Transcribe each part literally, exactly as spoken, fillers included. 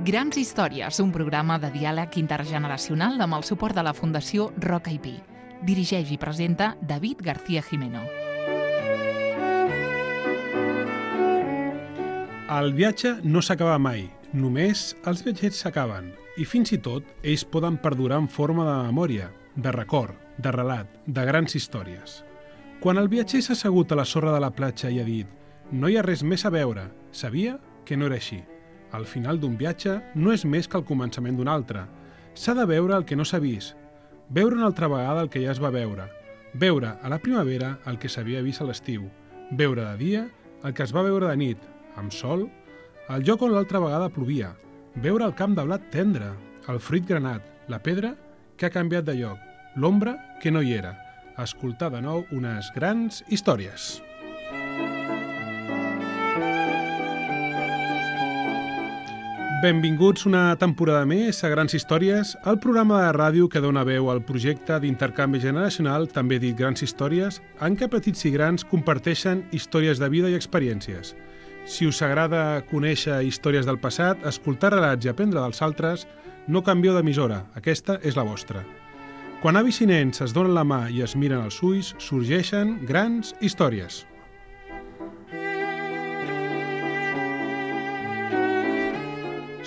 Grans històries, un programa de diàleg intergeneracional amb el suport de la Fundació Roca i Pi. Dirigeix i presenta David García Jimeno. El viatge no s'acaba mai, només els viatgers s'acaben, i fins i tot ells poden perdurar en forma de memòria, de record, de relat, de grans històries. Quan el viatger s'ha assegut a la sorra de la platja i ha dit «No hi ha res més a veure», sabia que no era així. Al final d'un viatge no és més que el començament d'un altre. S'ha de veure el que no s'ha vist, veure una altra vegada el que ja es va veure, veure a la primavera el que s'havia vist a l'estiu, veure de dia el que es va veure de nit, amb sol, el lloc on l'altra vegada plovia, veure el camp de blat tendre, el fruit granat, la pedra que ha canviat de lloc, l'ombra que no hi era, escoltar de nou unes grans històries. Benvinguts una temporada més a Grans Històries, el programa de ràdio que dona veu al projecte d'intercanvi generacional, també dit Grans Històries, en què petits i grans comparteixen històries de vida i experiències. Si us agrada conèixer històries del passat, escoltar relats i aprendre dels altres, no canvieu d'emissora, aquesta és la vostra. Quan avis i nens es donen la mà i es miren als ulls, sorgeixen grans històries.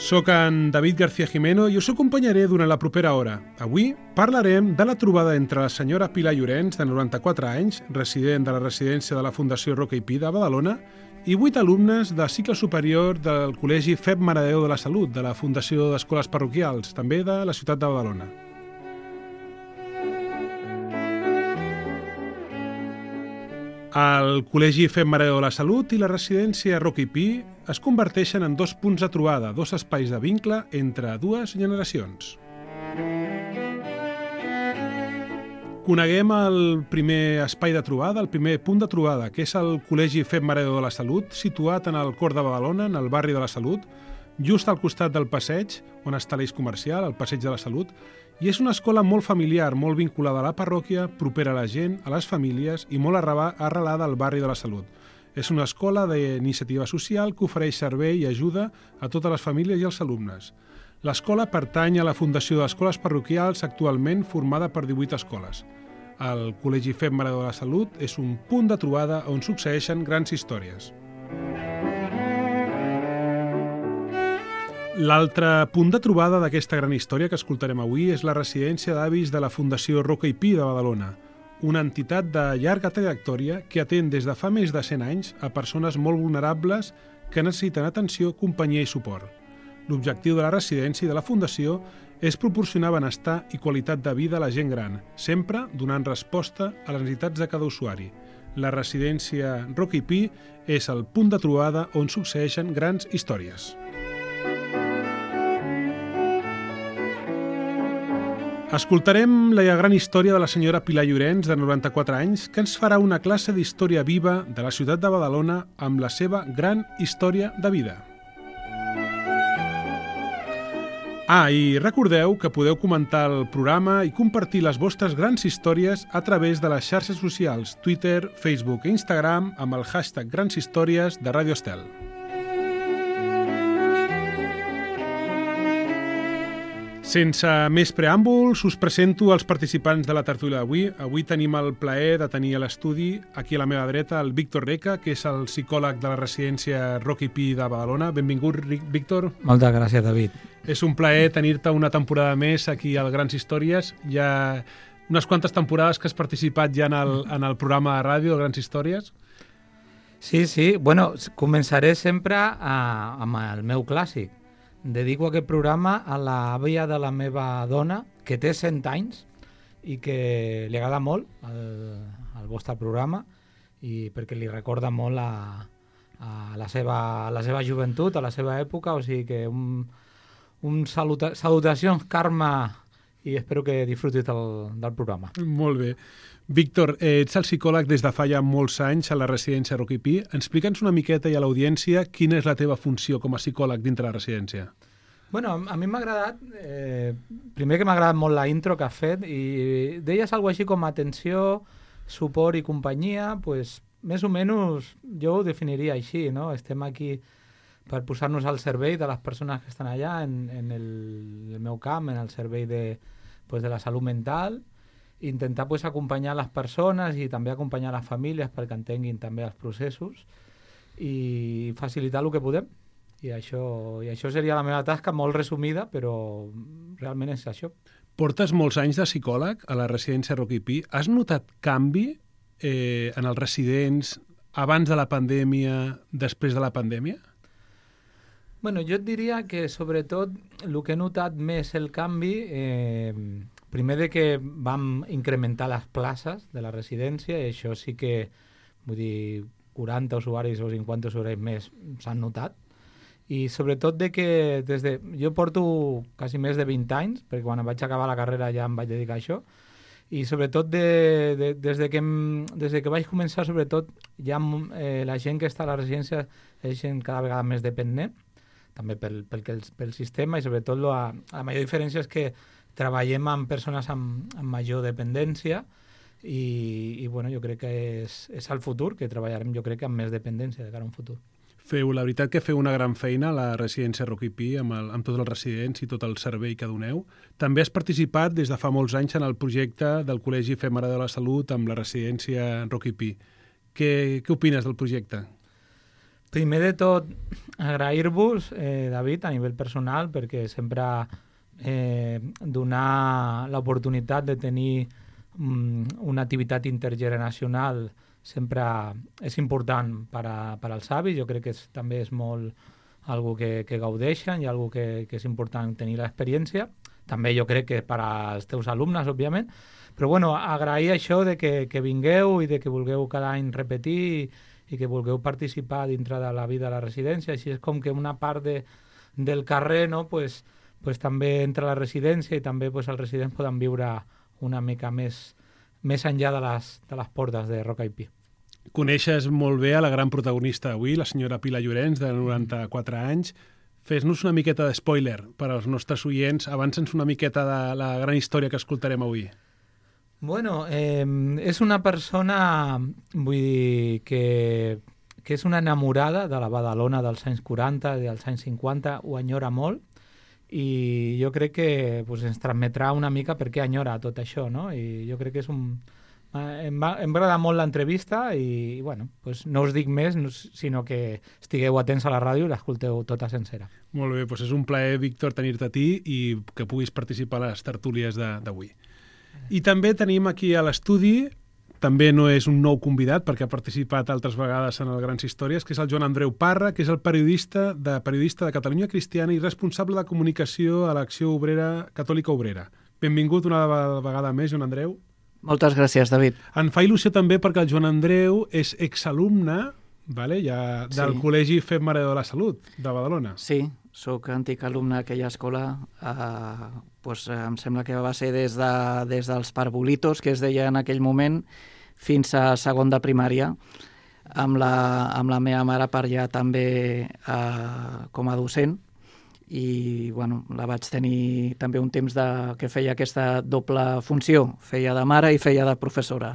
Soc en David García Jimeno i us acompanyaré durant la propera hora. Avui parlarem de la trobada entre la senyora Pilar Llorens, de noranta-quatre anys, resident de la residència de la Fundació Roca i Pi de Badalona, i vuit alumnes de cicle superior del Col·legi Feb Mare de Déu de la Salut, de la Fundació d'Escoles Parroquials, també de la ciutat de Badalona. El Col·legi Feb Mare de Déu de la Salut i la residència Roca i Pi es converteixen en dos punts de trobada, dos espais de vincle entre dues generacions. Coneguem el primer espai de trobada, el primer punt de trobada, que és el Col·legi Feb Mare de Déu de la Salut, situat en el cor de Badalona, en el barri de la Salut, just al costat del passeig, on està l'eix comercial, el passeig de la Salut, i és una escola molt familiar, molt vinculada a la parròquia, propera a la gent, a les famílies i molt arrelada al barri de la Salut. És una escola d'iniciativa social que ofereix servei i ajuda a totes les famílies i els alumnes. L'escola pertany a la Fundació d'Escoles Parroquials, actualment formada per divuit escoles. El Col·legi Feb Mare de Déu de la Salut és un punt de trobada on succeeixen grans històries. L'altre punt de trobada d'aquesta gran història que escoltarem avui és la residència d'avis de la Fundació Roca i Pi de Badalona, una entitat de llarga trajectòria que atén des de fa més de cent anys a persones molt vulnerables que necessiten atenció, companyia i suport. L'objectiu de la residència i de la Fundació és proporcionar benestar i qualitat de vida a la gent gran, sempre donant resposta a les necessitats de cada usuari. La residència Roca i Pi és el punt de trobada on succeeixen grans històries. Escoltarem la gran història de la senyora Pilar Llorens, de noranta-quatre anys, que ens farà una classe d'història viva de la ciutat de Badalona amb la seva gran història de vida. Ah, i recordeu que podeu comentar el programa i compartir les vostres grans històries a través de les xarxes socials Twitter, Facebook i Instagram amb el hashtag Grans Històries de Ràdio Estel. Sense més preàmbuls, us presento els participants de la tertúlia d'avui. Avui tenim el plaer de tenir a l'estudi, aquí a la meva dreta, el Víctor Reca, que és el psicòleg de la residència Roca i Pi de Badalona. Benvingut, Víctor. Moltes gràcies, David. És un plaer tenir-te una temporada més aquí al Grans Històries. Hi ha unes quantes temporades que has participat ja en el, en el programa de ràdio, Grans Històries. Sí, sí. Bueno, començaré sempre a, amb el meu clàssic. Dedico aquest programa a l'àvia de la meva dona, que té cent anys i que li agrada molt el, el vostre programa i perquè li recorda molt a, a, la seva, a la seva joventut, a la seva època, o sigui que un, un saluta, salutacions, Carme, i espero que disfrutis del, del programa. Molt bé. Víctor, eh, ets el psicòleg des de fa ja molts anys a la residència Roca i Pi. Explica'ns una miqueta i a l'audiència quina és la teva funció com a psicòleg dintre la residència. Bueno, a mi m'ha agradat, eh, primer que m'ha agradat molt la intro que has fet i deies alguna així com atenció, suport i companyia, pues més o menys jo ho definiria així, no? Estem aquí per posar-nos al servei de les persones que estan allà, en, en el, el meu camp, en el servei de, pues, de la salut mental, intentar pues, acompanyar les persones i també acompanyar les famílies perquè entenguin també els processos i facilitar el que podem. I això, i això seria la meva tasca, molt resumida, però realment és això. Portes molts anys de psicòleg a la residència Rocky Pi. Has notat canvi eh, en els residents abans de la pandèmia, després de la pandèmia? Bueno, jo et diria que sobretot el que he notat més el canvi, eh, primer de que vam incrementar les places de la residència, i això sí que, vull dir, quaranta usuaris o cinquanta usuaris més s'han notat, i sobretot de que des de... Jo porto quasi més de vint anys, perquè quan em vaig acabar la carrera ja em vaig dedicar a això, i sobretot de, de, des, de que, des de que vaig començar, sobretot, ja eh, la gent que està a la residència és gent cada vegada més dependent, també pel, pel, pel sistema, i sobretot la, la major diferència és que treballem amb persones amb, amb major dependència, i, i bueno, jo crec que és, és el futur, que treballarem jo crec que amb més dependència de cara a un futur. Feu, la veritat que feu una gran feina a la residència Rocky Pi amb, el, amb tots els residents i tot el servei que doneu. També has participat des de fa molts anys en el projecte del Col·legi Fem Ara de la Salut amb la residència Rocky Pi. Què, què opines del projecte? Primer de tot, agrair-vos, eh, David, a nivell personal, perquè sempre eh, donar l'oportunitat de tenir um, una activitat intergeneracional sempre és important per, a, per als avis. Jo crec que és, també és molt algo que, que gaudeixen i algo que, que és important tenir l'experiència. També jo crec que per als teus alumnes, òbviament. Però bueno, agrair això de que, que vingueu i de que vulgueu cada any repetir i, i que vulgueu participar dintre de la vida de la residència. Així és com que una part de, del carrer, no, pues, pues també entra a la residència i també pues, els residents poden viure una mica més més enllà de les, de les portes de Rocky Pi. Coneixes molt bé a la gran protagonista d'avui, la senyora Pilar Llorenç, de noranta-quatre anys. Fes-nos una miqueta de spoiler per als nostres oients. Avança'ns una miqueta de la gran història que escoltarem avui. Bueno, eh, és una persona, vull dir, que, que és una enamorada de la Badalona dels anys quaranta, dels anys cinquanta, ho enyora molt, i jo crec que pues, ens transmetrà una mica per què enyora tot això, no? I jo crec que és un... Em va, em va agradar molt l'entrevista i, bueno, pues no us dic més, sinó que estigueu atents a la ràdio i l'escolteu tota sencera. Molt bé, doncs és un plaer, Víctor, tenir-te a ti i que puguis participar a les tertúlies d'avui. I també tenim aquí a l'estudi, també no és un nou convidat perquè ha participat altres vegades en el Grans Històries, que és el Joan Andreu Parra, que és el periodista de, periodista de Catalunya Cristiana i responsable de comunicació a l'Acció Obrera Catòlica Obrera. Benvingut una vegada més, Joan Andreu. Moltes gràcies, David. Em fa il·lusió també perquè el Joan Andreu és exalumne, vale, ja, del sí. Col·legi Fem Ara de la Salut, de Badalona. Sí, sóc antic alumne d'aquella escola. Eh, doncs, em sembla que va ser des, de, des dels parvulitos, que es deia en aquell moment, fins a segon de primària, amb la, amb la meva mare per allà també eh, com a docent. I bueno, la vaig tenir també un temps de, que feia aquesta doble funció, feia de mare i feia de professora.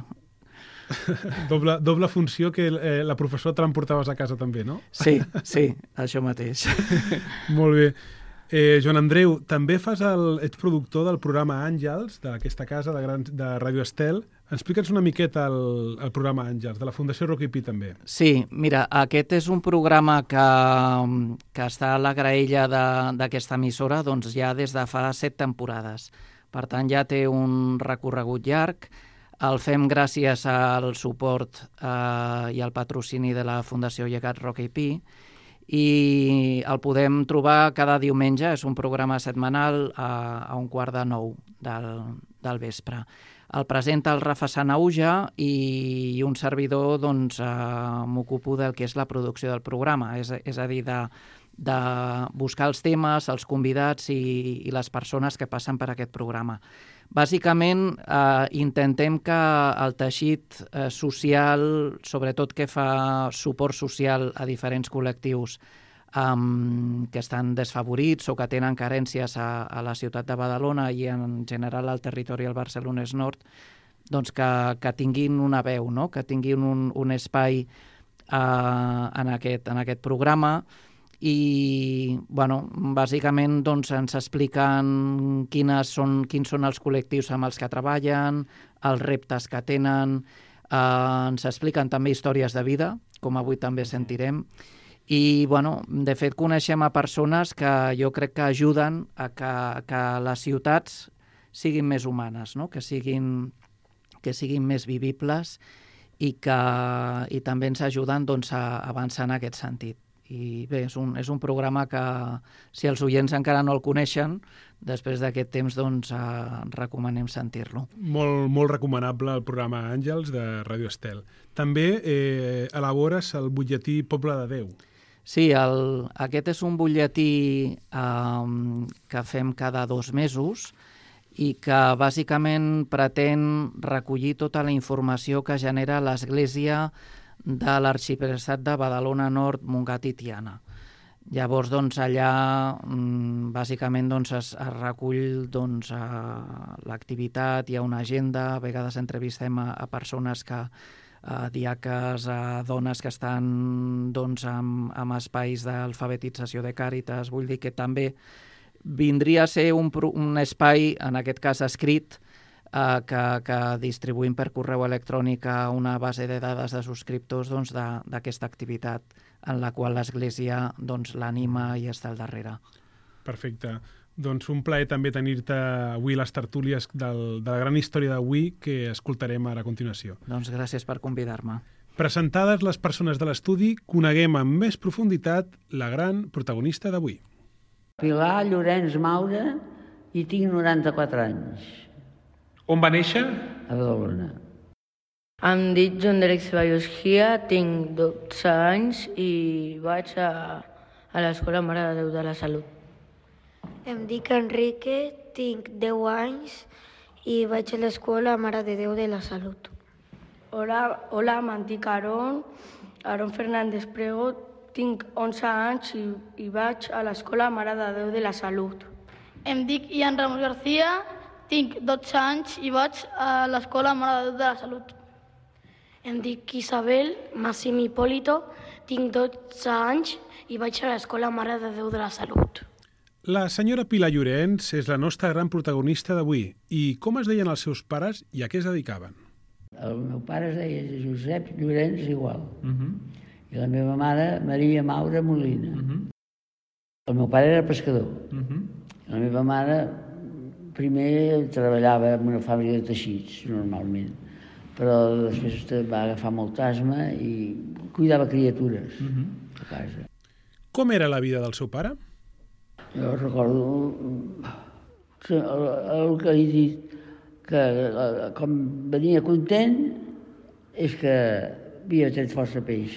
doble, doble funció que eh, la professora te l'emportaves a casa també, no? Sí, sí, això mateix. Molt bé. Eh, Joan Andreu, també fas el, ets productor del programa Àngels, d'aquesta casa de, gran, de Ràdio Estel. Explica'ns una miqueta el, el programa Àngels, de la Fundació Rocky Pi també. Sí, mira, aquest és un programa que, que està a la graella d'aquesta emissora doncs, ja des de fa set temporades. Per tant, ja té un recorregut llarg. El fem gràcies al suport eh, i al patrocini de la Fundació Llegat Rocky Pi, i el podem trobar cada diumenge, és un programa setmanal a, a un quart de nou del, del vespre. El presenta el Rafa Sanauja i, i un servidor doncs, eh, m'ocupo del que és la producció del programa, és, és a dir, de, de buscar els temes, els convidats i, i les persones que passen per aquest programa. Bàsicament, eh, intentem que el teixit eh, social, sobretot que fa suport social a diferents col·lectius um, que estan desfavorits o que tenen carències a, a la ciutat de Badalona i en general al territori del Barcelonès Nord, doncs que, que tinguin una veu, no? Que tinguin un, un espai uh, en, aquest, en aquest programa i bueno, bàsicament doncs, ens expliquen quines són, quins són els col·lectius amb els que treballen, els reptes que tenen, eh, ens expliquen també històries de vida, com avui també sentirem, i bueno, de fet coneixem a persones que jo crec que ajuden a que, que les ciutats siguin més humanes, no? que, siguin, que siguin més vivibles i que i també ens ajuden doncs, a avançar en aquest sentit. I bé, és un, és un programa que, si els oients encara no el coneixen, després d'aquest temps doncs, eh, recomanem sentir-lo. Molt, molt recomanable el programa Àngels de Ràdio Estel. També eh, elabores el butlletí Poble de Déu. Sí, el, aquest és un butlletí eh, que fem cada dos mesos i que bàsicament pretén recollir tota la informació que genera l'Església de l'Arxiprestat de Badalona Nord, Montgat i Tiana. Llavors, doncs, allà bàsicament doncs, es, es recull doncs, l'activitat, hi ha una agenda, a vegades entrevistem a, a persones que a diaques, a dones que estan doncs, amb, amb espais d'alfabetització de Càritas. Vull dir que també vindria a ser un, un espai, en aquest cas escrit, eh, que, que distribuïm per correu electrònic a una base de dades de subscriptors doncs, d'aquesta activitat en la qual l'Església doncs, l'anima i està al darrere. Perfecte. Doncs un plaer també tenir-te avui les tertúlies del, de la gran història d'avui que escoltarem ara a continuació. Doncs gràcies per convidar-me. Presentades les persones de l'estudi, coneguem amb més profunditat la gran protagonista d'avui. Pilar Llorenç Maura i tinc noranta-quatre anys. On va néixer? A Badalona. Em dic Joan Derek Ceballos Gia, tinc dotze anys i vaig a, a l'Escola Mare de Déu de la Salut. Em dic Enrique, tinc deu anys i vaig a l'Escola Mare de Déu de la Salut. Hola, hola em dic Aaron, Aaron Fernández Prego, tinc onze anys i, i vaig a l'Escola Mare de Déu de la Salut. Em dic Ian Ramos García, tinc dotze anys i vaig a l'Escola Mare de Déu de la Salut. Em dic Isabel Massim Hipólito, tinc dotze anys i vaig a l'Escola Mare de Déu de la Salut. La senyora Pilar Llorenç és la nostra gran protagonista d'avui. I com es deien els seus pares i a què es dedicaven? El meu pare es deia Josep Llorenç igual. Uh-huh. I la meva mare, Maria Maura Molina. Uh-huh. El meu pare era pescador. Uh-huh. La meva mare primer treballava en una fàbrica de teixits, normalment, però després va agafar molt asma i cuidava criatures uh-huh. a casa. Com era la vida del seu pare? Jo recordo el, el que he dit, que com venia content és que havia tret força peix.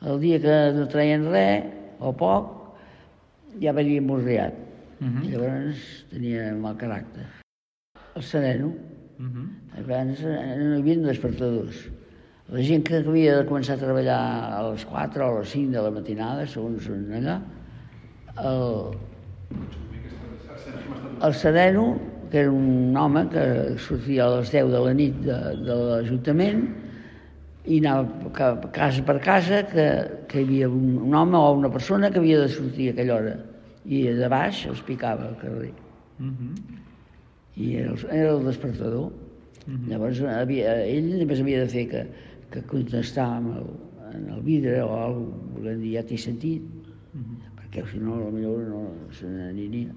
El dia que no traien res, o poc, ja venia morriat. Uh-huh. Llavors tenia mal caràcter. El sereno. Uh-huh. Abans no hi havia despertadors. La gent que havia de començar a treballar a les quatre o a les cinc de la matinada, segons on allà, el, el sereno, que era un home que sortia a les deu de la nit de, de l'Ajuntament, i anava casa per casa, que, que hi havia un, un home o una persona que havia de sortir a aquella hora. I de baix els picava al carrer. Uh-huh. I era el, era el despertador. Uh-huh. Llavors havia, ell només havia de fer que, que contestar amb el, en el vidre o alguna cosa, volent dir, ja t'he sentit, uh-huh. perquè si no, potser no se n'aniria.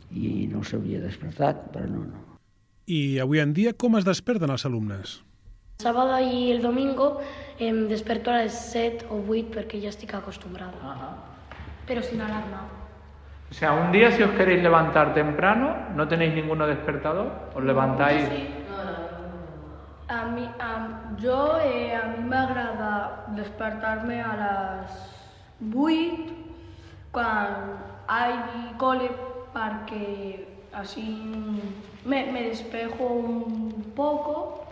I no s'havia despertat, però no, no. I avui en dia com es desperten els alumnes? El sábado y el domingo em desperto a las set o ocho porque ya estoy acostumbrada. Ajá. Pero sin alarma. O sea, un día si os queréis levantar temprano, ¿no tenéis ninguno despertador? ¿Os levantáis? Sí. A mí, a, yo, eh, a mí me agrada despertarme a las ocho cuando hay cole porque así me, me despejo un poco.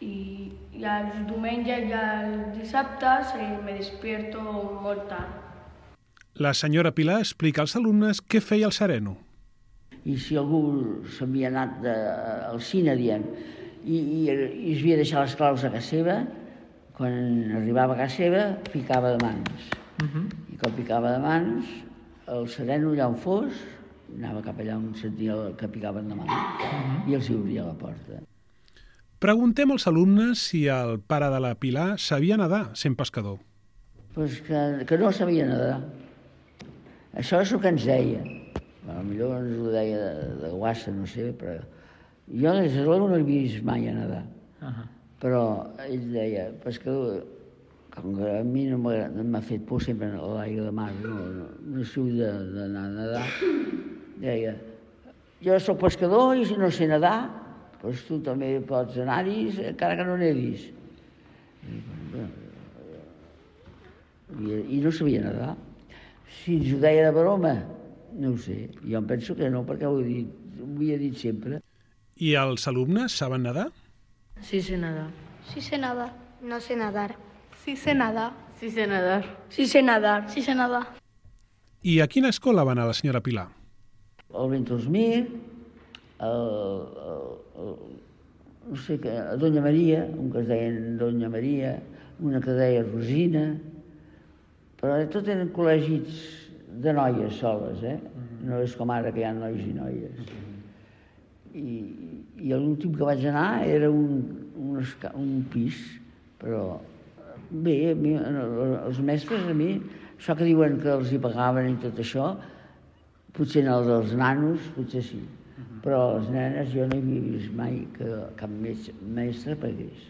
I, i els diumenges i els dissabtes eh, me despierto molt tard. La senyora Pilar explica als alumnes què feia el sereno. I si algú s'havia anat de, al cine, diem, i, i, i es havia deixat les claus a casa seva, quan arribava a casa seva, ficava de mans. Uh-huh. I que el picava de mans, el sereno allà on fos, anava cap allà on sentia que picaven de mans, i els hi obria la porta. Preguntem als alumnes si el pare de la Pilar sabia nedar sent pescador. Pues que, que no sabia nedar. Això és el que ens deia. Bueno, millor ens ho deia de, de guassa, no sé, però jo des de l'hora no l'he vist mai a nedar. Uh -huh. Però ell deia, pescador, com que a mi no m'ha fet por sempre a l'aigua de mar, no, no, no sé d'anar a nedar, deia, jo soc pescador i si no sé nedar, doncs tu també pots anar-hi, encara que no nedis. I, I no sabia nedar. Si ens ho deia de broma, no ho sé. Jo em penso que no, perquè ho, he dit, ho havia dit sempre. I els alumnes saben nedar? Sí sé nadar. Sí sé nadar. No sé nadar. Sí sé nadar. Sí sé nadar. Sí sé nadar. Sí sé nadar. I a quina escola va anar la senyora Pilar? El Ventosmir, el, el, el, no sé què, a Doña Maria, un que es deien Doña Maria, una que es deia Rosina, però tot eren col·legis de noies soles, eh? No és com ara que hi ha nois i noies. I, i l'últim que vaig anar era un, un, un pis, però bé, a mi, els mestres a mi, això que diuen que els hi pagaven i tot això, potser en els dels nanos, potser sí, però les nenes jo no he vist mai que cap mestre pagués.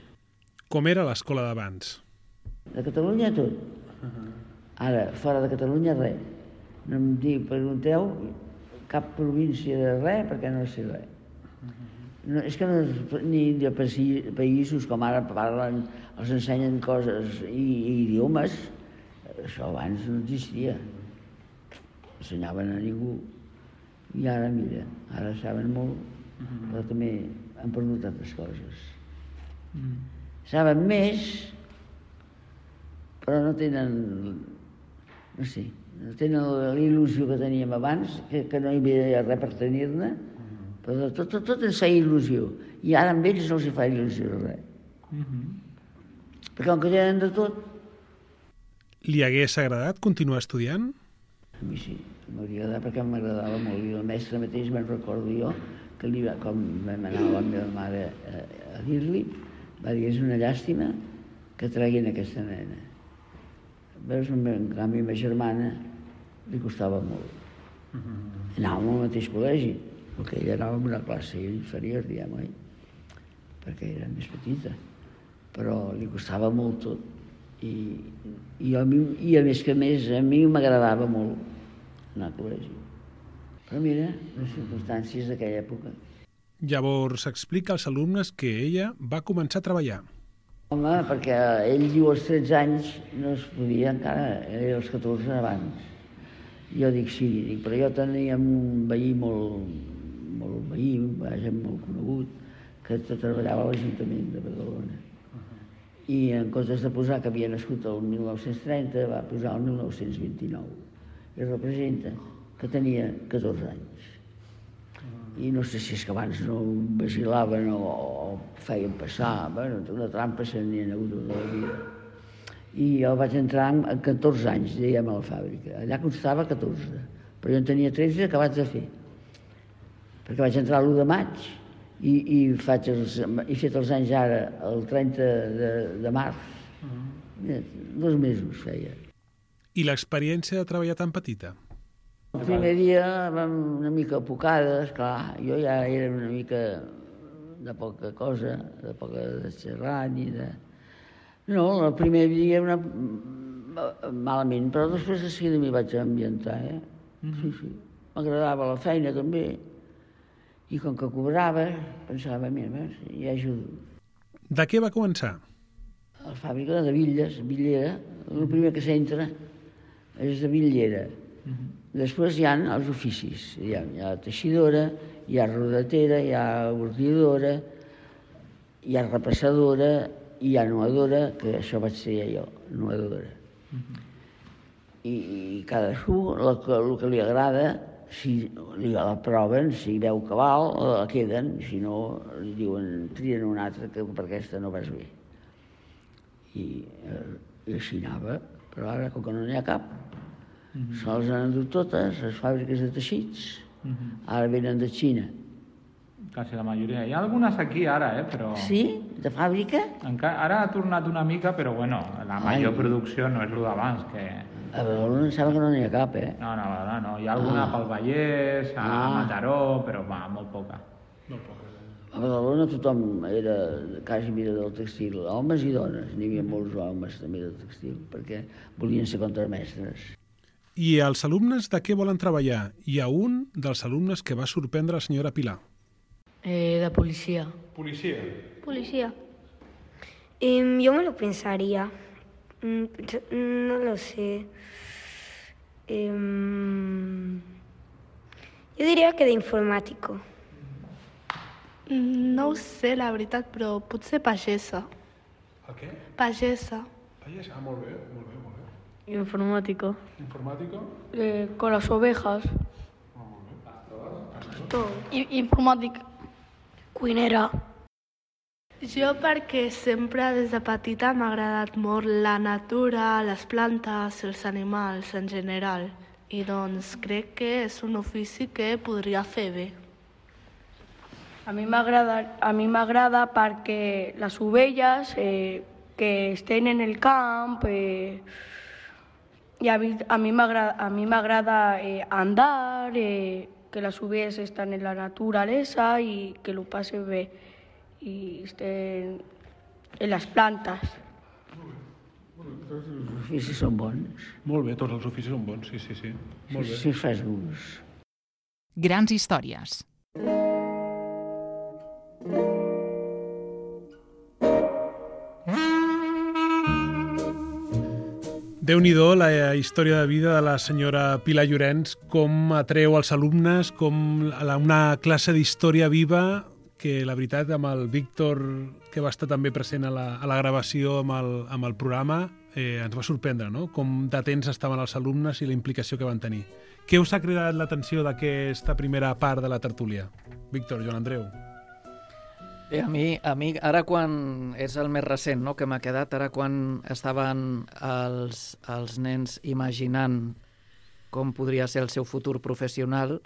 Com era l'escola d'abans? De Catalunya tot. Ara, fora de Catalunya res. No em dic, pregunteu cap província de res perquè no sé res. No, és que no, ni de països com ara parlen, els ensenyen coses i, i idiomes, això abans no existia. Ensenyaven a ningú. I ara, mira, ara saben molt, però també han perdut altres coses. Saben més, però no tenen, no sé, no tenen la il·lusió que teníem abans, que, que no hi havia res per tenir-ne, però tot, tot, tot ens feia il·lusió. I ara amb ells no els hi fa il·lusió res. Perquè com que tenen de tot... Li hagués agradat continuar estudiant? A mi sí, m'hauria agradat perquè m'agradava molt. I el mestre mateix me'n recordo jo, que li va, com vam anar la meva mare a, a dir-li, va dir, és una llàstima que treguin aquesta nena. Veus, en canvi, a ma germana li costava molt. Anàvem al mateix col·legi, perquè ella anava en una classe inferior, diguem, oi? Perquè era més petita. Però li costava molt tot. I, i, a, mi, i a més que més, a mi m'agradava molt anar al col·legi. Però mira, les circumstàncies d'aquella època. Llavors explica als alumnes que ella va començar a treballar. Home, perquè ell diu als tretze anys no es podia encara, era als catorze abans. Jo dic sí, dic, però jo tenia un veí molt, molt veí, vaja, molt conegut, que treballava a l'Ajuntament de Badalona. I en comptes de posar que havia nascut el mil nou-cents trenta, va posar el mil nou-cents vint-i-nou. I representa que tenia catorze anys. I no sé si és que abans no vacilaven o, o feien passar, bueno, una trampa se n'hi ha hagut tota la vida. I jo vaig entrar amb catorze anys, dèiem, a la fàbrica. Allà constava catorze, però jo en tenia tretze acabats de fer. Perquè vaig entrar l'u de maig i, i, faig els, he fet els anys ara, el trenta de, de març. Mira, dos mesos feia. I l'experiència de treballar tan petita? El primer dia vam una mica apocades, clar, jo ja era una mica de poca cosa, de poca de xerrar ni de... No, el primer dia una... malament, però després de seguida m'hi vaig ambientar, eh? Sí, sí. M'agradava la feina també, i com que cobrava, pensava, mira, ja ajudo. De què va començar? A la fàbrica de bitlles, bitllera, el primer que s'entra és de bitllera. Després hi ha els oficis, hi ha, hi ha teixidora, hi ha rodatera, hi ha ordinadora, hi ha repassadora, hi ha nuadora, que això vaig ser jo, nuadora. I, i cadascú, el que, el que li agrada, si li la proven, si veu que val, la queden, si no, li diuen, trien una altra, que per aquesta no vas bé. I, eh, i així anava, però ara, com que no n'hi ha cap, Mm-hmm. Se les han endut totes, les fàbriques de teixits, mm-hmm. ara venen de Xina. Quasi la majoria. Hi ha algunes aquí ara, eh, però... Sí? De fàbrica? Encara, ara ha tornat una mica, però bueno, la major Ai. producció no és el d'abans, que... A Badalona em sembla que no n'hi ha cap, eh? No, no, no, no. Hi ha alguna ah. pel Vallès, a ah. Mataró, però va, molt poca. Molt poca. A Badalona tothom era quasi mira del textil, homes i dones. N'hi havia molts homes també del textil, perquè volien ser contramestres. I els alumnes de què volen treballar? Hi ha un dels alumnes que va sorprendre la senyora Pilar. Eh, de policía. ¿Policía? Policía. Eh, yo me lo pensaría. Mm, no lo sé. Eh, yo diría que de informàtico. No ho sé, la veritat, però potser pagesa. El què? Pagesa. Pagesa, ah, molt bé, molt bé, molt bé. Informático. ¿Informático? Eh, con las ovejas. Ah, molt bé. Pastor? Todo. I, informàtic. Cuinera. Jo perquè sempre des de petita m'ha agradat molt la natura, les plantes, els animals en general. I doncs crec que és un ofici que podria fer bé. A mi m'agrada a mi m'agrada perquè les ovelles eh, que estan en el camp eh, i a mi, a mi m'agrada a mi m'agrada eh, andar, eh, que les ovelles estan en la naturalesa i que lo passe bé i estén en les plantes. Tots els oficis són bons. Molt bé, tots els oficis són bons, sí, sí, sí. Molt bé. Si fas gust. Grans històries. Déu-n'hi-do la història de vida de la senyora Pilar Llorenç, com atreu els alumnes, com una classe d'història viva que la veritat amb el Víctor, que va estar també present a la, a la gravació amb el, amb el programa, eh, ens va sorprendre, no? Com d'atents estaven els alumnes i la implicació que van tenir. Què us ha cridat l'atenció d'aquesta primera part de la tertúlia? Víctor, Joan Andreu. Bé, a mi, a mi ara quan és el més recent, no?, que m'ha quedat, ara quan estaven els, els nens imaginant com podria ser el seu futur professional,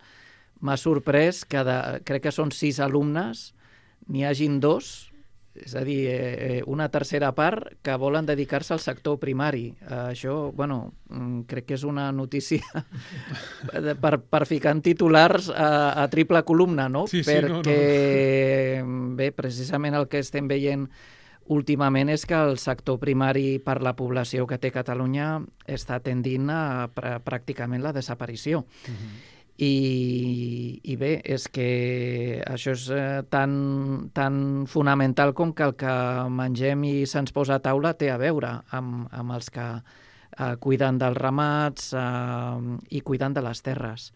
m'ha sorprès que de, crec que són sis alumnes, n'hi hagin dos, és a dir, eh, una tercera part que volen dedicar-se al sector primari. Eh, això, bueno, crec que és una notícia per, per ficar en titulars a, a triple columna, no? Sí, sí, perquè, no, no. bé, precisament el que estem veient últimament és que el sector primari per la població que té Catalunya està tendint a pr pràcticament la desaparició. Uh-huh. I, i bé, és que això és eh, tan, tan fonamental com que el que mengem i se'ns posa a taula té a veure amb, amb els que eh, cuiden dels ramats eh, i cuiden de les terres.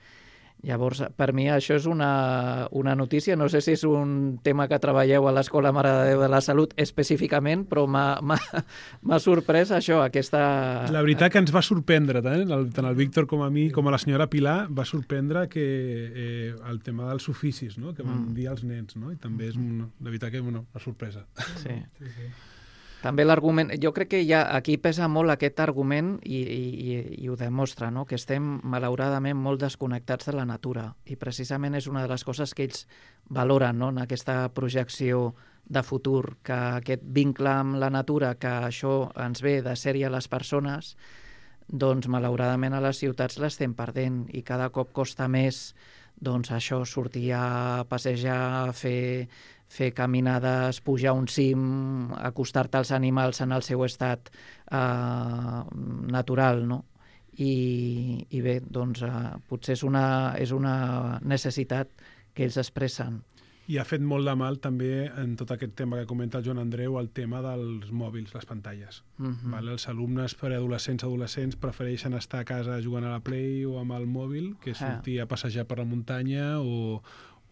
Llavors, per mi això és una, una notícia, no sé si és un tema que treballeu a l'Escola Mare de Déu de la Salut específicament, però m'ha sorprès això, aquesta... La veritat que ens va sorprendre, tant el, tant el Víctor com a mi, com a la senyora Pilar, va sorprendre que eh, el tema dels oficis, no?, que van mm. dir als nens, no?, i també és una, la veritat que és una, una sorpresa. Sí. sí, sí. També l'argument, jo crec que ja aquí pesa molt aquest argument i, i, i ho demostra, no?, que estem malauradament molt desconnectats de la natura i precisament és una de les coses que ells valoren, no?, en aquesta projecció de futur, que aquest vincle amb la natura, que això ens ve de sèrie a les persones, doncs malauradament a les ciutats l'estem perdent i cada cop costa més doncs això, sortir a passejar, a fer... fer caminades, pujar un cim, acostar-te als animals en el seu estat eh, natural, no? I, i bé, doncs eh, potser és una, és una necessitat que ells expressen. I ha fet molt de mal també en tot aquest tema que comenta el Joan Andreu, el tema dels mòbils, les pantalles. Uh-huh. Vale? Els alumnes preadolescents, adolescents prefereixen estar a casa jugant a la Play o amb el mòbil que sortir a passejar per la muntanya o,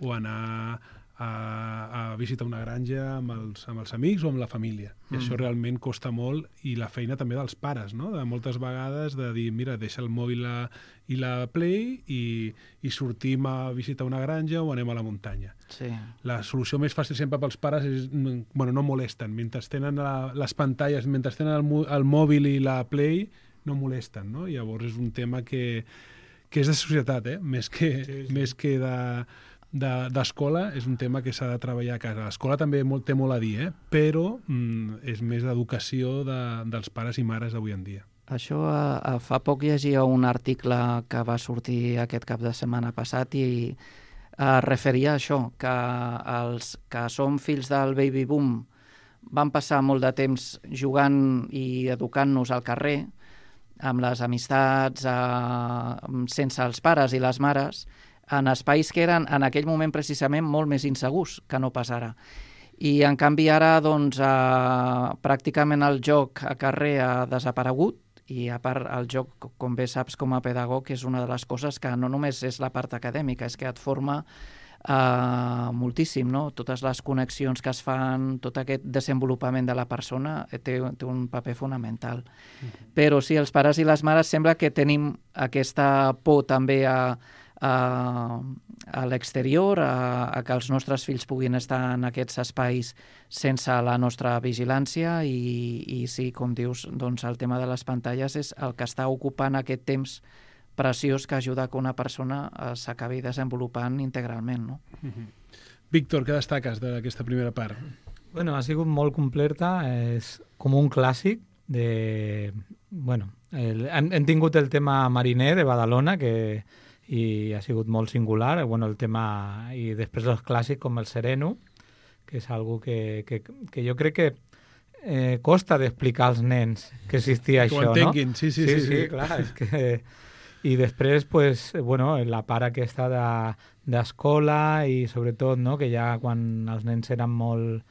o anar a, a visitar una granja amb els, amb els amics o amb la família. I mm. això realment costa molt, i la feina també dels pares, no? De moltes vegades de dir, mira, deixa el mòbil a, i la Play i, i sortim a visitar una granja o anem a la muntanya. Sí. La solució més fàcil sempre pels pares és, bueno, no molesten. Mentre tenen la, les pantalles, mentre tenen el, el mòbil i la Play, no molesten, no? Llavors és un tema que, que és de societat, eh? Més que, sí, sí. Més que de... d'escola, és un tema que s'ha de treballar a casa. L'escola també molt, té molt a dir, eh? Però mm, és més d'educació de, dels pares i mares d'avui en dia. Això, a, a fa poc llegia un article que va sortir aquest cap de setmana passat i es referia a això, que els que som fills del baby boom van passar molt de temps jugant i educant-nos al carrer, amb les amistats, eh, sense els pares i les mares, en espais que eren en aquell moment precisament molt més insegurs que no pas ara. I en canvi ara doncs, eh, pràcticament el joc a carrer ha desaparegut i a part el joc, com bé saps com a pedagog, és una de les coses que no només és la part acadèmica, és que et forma eh, moltíssim, no? Totes les connexions que es fan, tot aquest desenvolupament de la persona té, té un paper fonamental. Mm-hmm. Però sí, els pares i les mares sembla que tenim aquesta por també a a, a l'exterior, a, a que els nostres fills puguin estar en aquests espais sense la nostra vigilància i, i sí, com dius, doncs el tema de les pantalles és el que està ocupant aquest temps preciós que ajuda que una persona s'acabi desenvolupant integralment, no? Mm-hmm. Víctor, què destaques d'aquesta primera part? Bueno, ha sigut molt completa, és com un clàssic de... Bueno, el, hem, hem tingut el tema mariner de Badalona, que i ha sigut molt singular, bueno, el tema, i després els clàssics com el sereno, que és algo que, que, que jo crec que eh, costa d'explicar als nens que existia que això, no? Que ho entenguin, sí, sí, sí. Sí, sí, sí, clar, és que... I després, pues, bueno, la part aquesta de, d'escola i sobretot, no?, que ja quan els nens eren molt,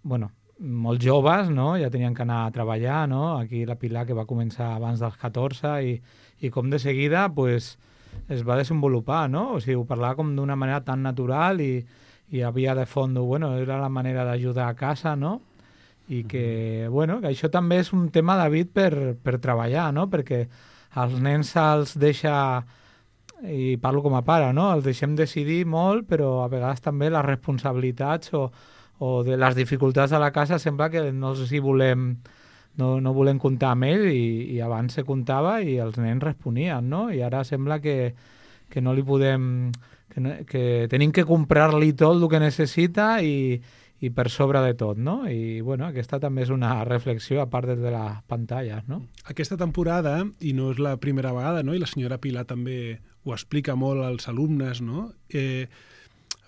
bueno, molt joves, no?, ja tenien que anar a treballar, no?, aquí la Pilar que va començar abans dels catorze i, i com de seguida, pues, es va desenvolupar, no? O sigui, ho parlava com d'una manera tan natural i, i havia de fons, bueno, era la manera d'ajudar a casa, no? I que, bueno, que això també és un tema, David, per, per treballar, no? Perquè als nens se'ls deixa, i parlo com a pare, no? Els deixem decidir molt, però a vegades també les responsabilitats o, o de les dificultats de la casa sembla que no els hi volem... No, no volem comptar amb ell i, i abans se comptava i els nens responien, no? I ara sembla que, que no li podem... Que, no, que tenim que comprar-li tot el que necessita i, i per sobre de tot, no? I, bueno, aquesta també és una reflexió a part de les pantalles, no? Aquesta temporada, i no és la primera vegada, no?, i la senyora Pilar també ho explica molt als alumnes, no?, eh,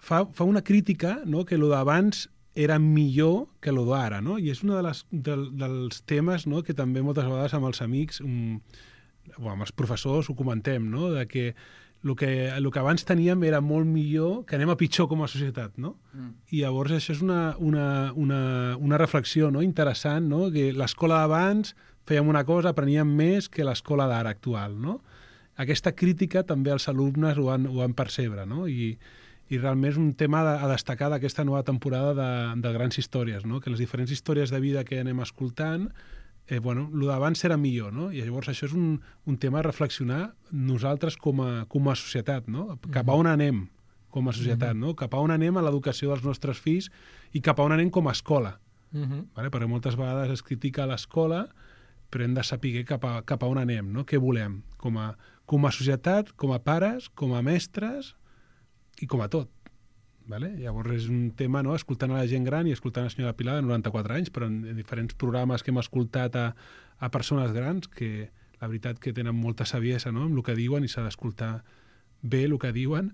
fa, fa una crítica, no?, que el d'abans era millor que el d'ara, no? I és un de les, de, dels temes, no?, que també moltes vegades amb els amics, um, o amb els professors ho comentem, no?, de que el que, el que abans teníem era molt millor, que anem a pitjor com a societat, no? Mm. I llavors això és una, una, una, una reflexió, no?, interessant, no?, que l'escola d'abans fèiem una cosa, apreníem més que l'escola d'ara actual, no? Aquesta crítica també els alumnes ho han, ho han percebre, no? I i realment és un tema a destacar d'aquesta nova temporada de, de grans històries, no? Que les diferents històries de vida que anem escoltant, eh, bueno, el d'abans era millor, no? I llavors això és un, un tema a reflexionar nosaltres com a, com a societat, no? Cap a on anem com a societat, no? Cap a on anem a l'educació dels nostres fills i cap a on anem com a escola. Uh-huh. Vale? Perquè moltes vegades es critica l'escola, però hem de saber cap a, cap a on anem, no? Què volem com a, com a societat, com a pares, com a mestres, i com a tot. Vale? Llavors és un tema, no?, escoltant a la gent gran i escoltant a la senyora Pilar de noranta-quatre anys, però en, en diferents programes que hem escoltat a, a persones grans, que la veritat que tenen molta saviesa, no?, amb el que diuen i s'ha d'escoltar bé el que diuen,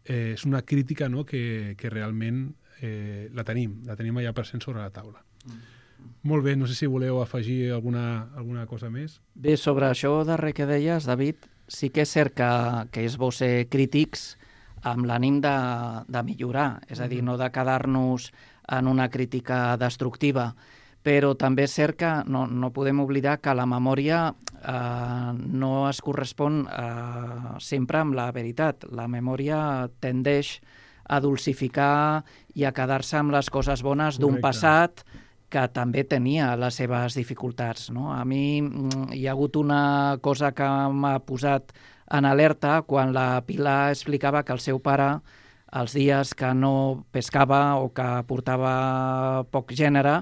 eh, és una crítica, no?, que, que realment eh, la tenim, la tenim allà present sobre la taula. Mm. Molt bé, no sé si voleu afegir alguna, alguna cosa més. Bé, sobre això darrer que deies, David, sí que és cert que, que és bo ser crítics amb l'ànim de, de millorar, és a dir, no de quedar-nos en una crítica destructiva, però també és cert que no, no podem oblidar que la memòria eh, no es correspon eh, sempre amb la veritat. La memòria tendeix a dulcificar i a quedar-se amb les coses bones d'un passat que també tenia les seves dificultats, no? A mi hi ha hagut una cosa que m'ha posat en alerta quan la Pilar explicava que el seu pare, els dies que no pescava o que portava poc gènere,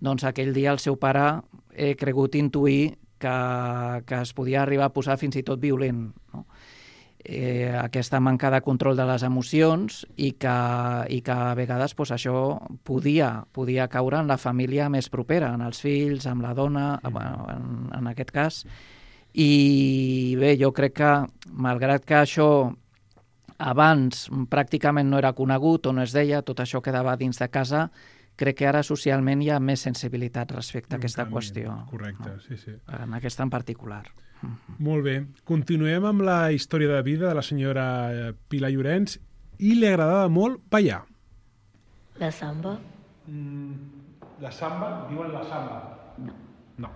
doncs aquell dia el seu pare he cregut intuir que, que es podia arribar a posar fins i tot violent, no? Eh, aquesta manca de control de les emocions i que, i que a vegades pues, això podia, podia caure en la família més propera, en els fills, amb la dona, bueno, en, en aquest cas. I bé, jo crec que, malgrat que això abans pràcticament no era conegut o no es deia, tot això quedava dins de casa, crec que ara socialment hi ha més sensibilitat respecte a aquesta qüestió. Correcte, no? sí, sí. En aquesta en particular. Molt bé. Continuem amb la història de vida de la senyora Pilar Llorenç i li agradava molt ballar. La samba? Mm, la samba? Diuen la samba? No. No.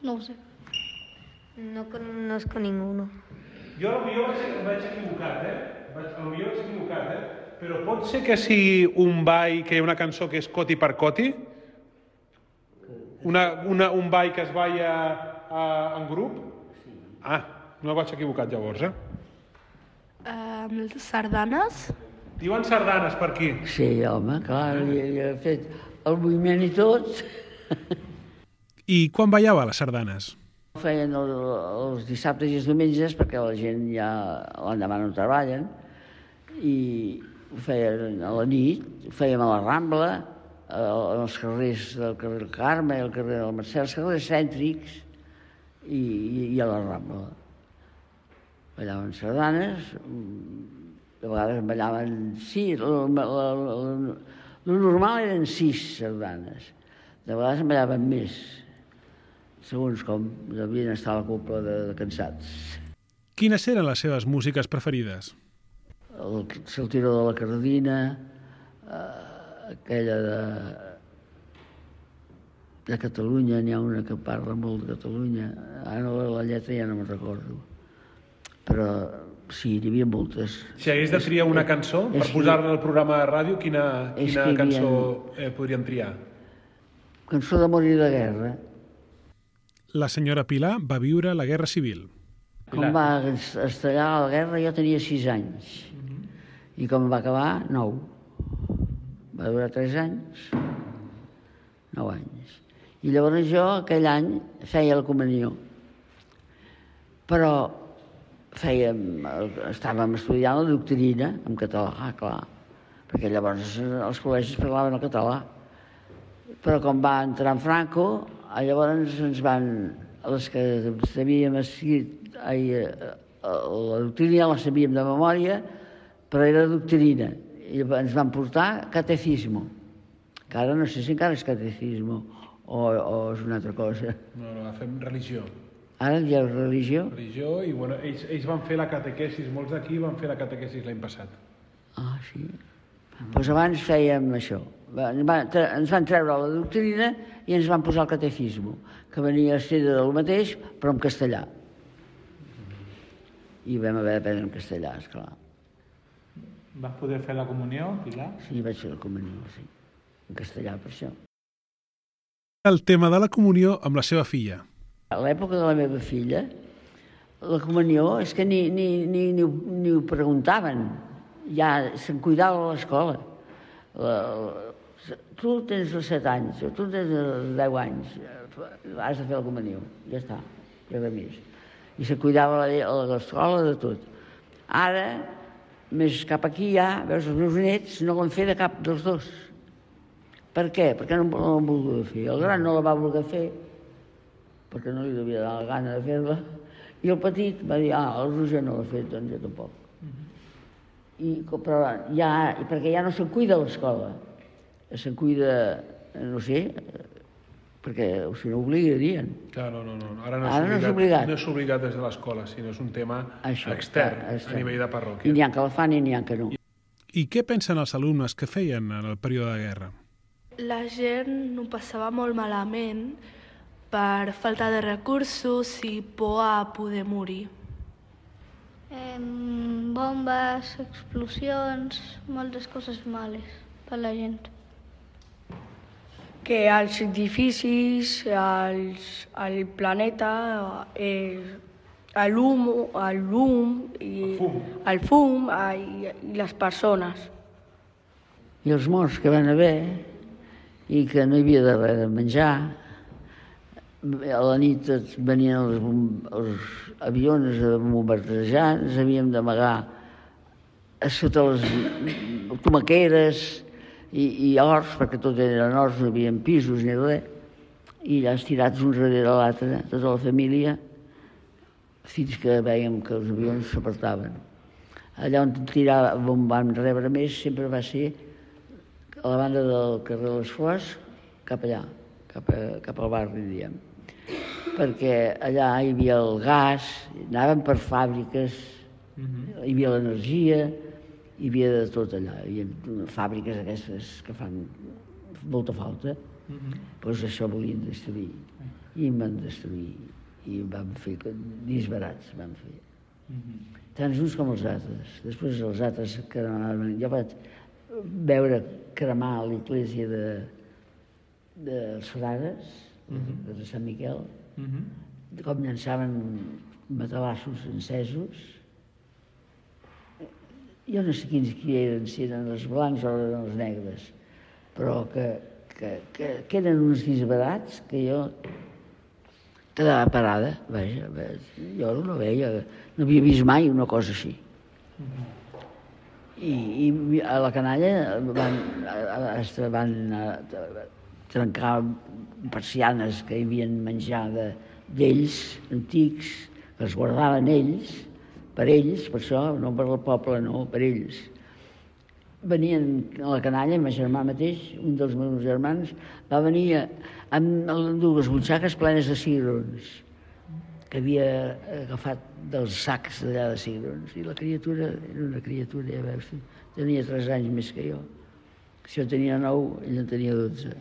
No ho sé. No conozco ninguno. Jo potser vaig, vaig equivocat, eh? Vaig, potser vaig equivocat, eh? Però pot ser que sigui un ball, que hi ha una cançó que és Coti per Coti? Una, una, un ball que es balla uh, en grup? Sí. Ah, no vaig equivocat llavors, eh? Uh, sardanes? Diuen sardanes per aquí. Sí, home, clar, hi, hi ha fet el moviment i tot. I quan ballava les sardanes? Feien el, els dissabtes i els diumenges, perquè la gent ja l'endemà no treballen, i ho feien a la nit, ho fèiem a la Rambla, als carrers del carrer Carme, al carrer del Mercè, els carrers cèntrics i, i, i a la Rambla. Ballaven sardanes, de vegades ballaven sis, el normal eren sis sardanes, de vegades en ballaven més, segons com devien estar a la copla de, de cansats. Quines eren les seves músiques preferides? El Saltiró de la Cardina, eh, aquella de, de Catalunya, n'hi ha una que parla molt de Catalunya, ara no, la lletra ja no me'n recordo, però sí, n'hi havia moltes. Si hagués de triar una cançó per posar-la al programa de ràdio, quina, quina cançó eh, podríem triar? Cançó d'amor i de guerra. La senyora Pilar va viure la Guerra Civil. Com va estallar la guerra jo tenia sis anys. I com va acabar, nou. Va durar tres anys, nou anys. I llavors jo aquell any feia la comunió. Però fèiem, estàvem estudiant la doctrina en català, clar, perquè llavors els col·legis parlaven el català. Però com va entrar en Franco, llavors ens van, les que sabíem escrit, ai, la doctrina ja la sabíem de memòria, però era doctrina, i ens van portar catecismo, que ara no sé si encara és catecismo o, o és una altra cosa. No, no, fem religió. Ara hi ha religió? Religió, i bueno, ells, ells van fer la catequesis, molts d'aquí van fer la catequesis l'any passat. Ah, sí? Doncs pues abans fèiem això. Ens van, ens van treure la doctrina i ens van posar el catecismo, que venia a ser del mateix, però en castellà. I vam haver d'aprendre en castellà, esclar. Vas poder fer la comunió, Pilar? Sí, vaig fer la comunió, sí. En castellà, per això. El tema de la comunió amb la seva filla. A l'època de la meva filla, la comunió és que ni, ni, ni, ni, ni ho preguntaven. Ja se'n cuidava a l'escola. La, la, tu tens els set anys, o tu tens els deu anys, has de fer la comunió. Ja està, ja res més. I se'n cuidava a l'escola de tot. Ara, més cap aquí ja, veus, els meus nets no l'han fet de cap dels dos. Per què? Perquè no, no l'han volgut fer. El gran no la va voler fer, perquè no li devia dar la gana de fer-la, i el petit va dir, ah, el Roger no l'ha fet, doncs jo tampoc. I, però ja, perquè ja no se'n cuida a l'escola, se'n cuida, no sé, perquè si no obligarien. Clar, no, no, no. Ara no és, Ara obligat, no és obligat. No és obligat des de l'escola, sinó és un tema Això, extern, extern, a nivell de I parròquia. n'hi ha que la fan i n'hi ha que no. I què pensen els alumnes que feien en el període de guerra? La gent ho passava molt malament per falta de recursos i por a poder morir. Eh, bombes, explosions, moltes coses males per la gent. Que els edificis, els, el planeta, eh, l'hum, el llum, i el fum, el fum i, i les persones. I els morts que van haver, i que no hi havia de res de menjar, a la nit venien els, els avions a bombardejar, ens havíem d'amagar sota les tomaqueres i, i horts, perquè tot eren horts, no hi havia pisos ni res, i allà estirats un darrere l'altre, tota la família, fins que veiem que els avions s'apartaven. Allà on, tirava, on vam rebre més sempre va ser a la banda del carrer de les Flors, cap allà, cap, a, cap al barri, diguem. Perquè allà hi havia el gas, anàvem per fàbriques, uh-huh. hi havia l'energia, hi havia de tot allà. Hi havia fàbriques aquestes que fan molta falta, uh-huh. doncs això volien destruir. I em van destruir. I vam fer disbarats, vam fer. Uh-huh. Tant uns com els altres. Després els altres cremaven. Jo vaig veure cremar a l'església de, de Frares, uh-huh. de Sant Miquel, uh-huh. com llançaven matalassos encesos. Jo no sé quins qui eren, si eren els blancs o eren els negres, però que, que, que, que eren uns disbarats que jo quedava parada, vaja, jo no veia, no havia vist mai una cosa així. Uh-huh. I, I a la canalla van, van trencar persianes que hi havien menjar d'ells, antics, que es guardaven ells, per ells, per això, no per el poble, no, per ells. Venien a la canalla, el meu germà mateix, un dels meus germans, va venir amb dues butxaques plenes de cigrons, que havia agafat dels sacs d'allà de cigrons. I la criatura era una criatura, ja veus, tenia tres anys més que jo. Si jo tenia nou, ell en tenia dotze.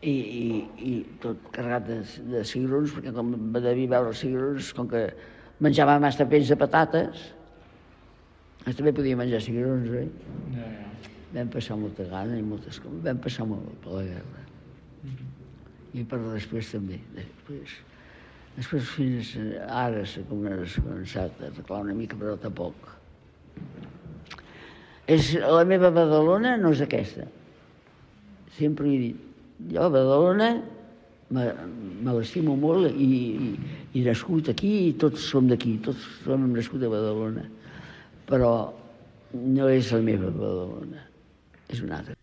I, i, i tot carregat de, de cigrons, perquè com va devia veure els cigrons, com que menjava massa peix de patates, també podia menjar cigrons, oi? Ja, ja. Vam passar molta gana i moltes coses. Vam passar molt per la guerra. Mm-hmm. I per després també. Després, després fins ara s'ha començat a arreglar una mica, però tampoc. És, la meva Badalona no és aquesta. Sempre he dit. Jo a Badalona me, me l'estimo molt i, i, i nascut aquí, i tots som d'aquí, tots som nascut a Badalona. Però no és la meva Badalona, és una altra.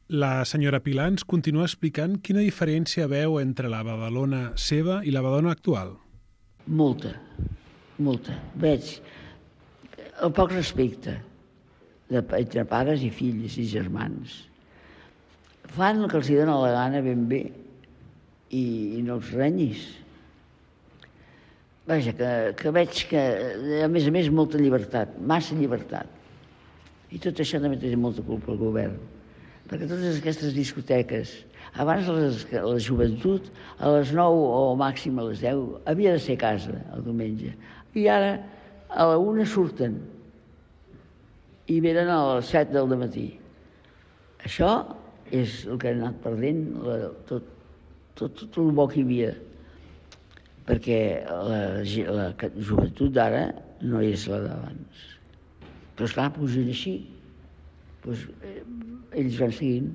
La senyora Pilar ens continua explicant quina diferència veu entre la Badalona seva i la Badalona actual. Molta, molta. Veig el poc respecte de, entre pares i fills i germans. Fan el que els dona la gana ben bé i, i no els renyis. Vaja, que, que veig que, a més a més, molta llibertat, massa llibertat. I tot això també té molta culpa al govern. Perquè totes aquestes discoteques, abans les, la joventut, a les nou o màxim a les deu, havia de ser a casa el diumenge. I ara a la una surten i venen a les set del matí. Això és el que ha anat perdent la, tot, tot, tot el bo que hi havia. Perquè la, la joventut d'ara no és la d'abans. Però esclar, pugen així. Pues, eh, ells van seguint.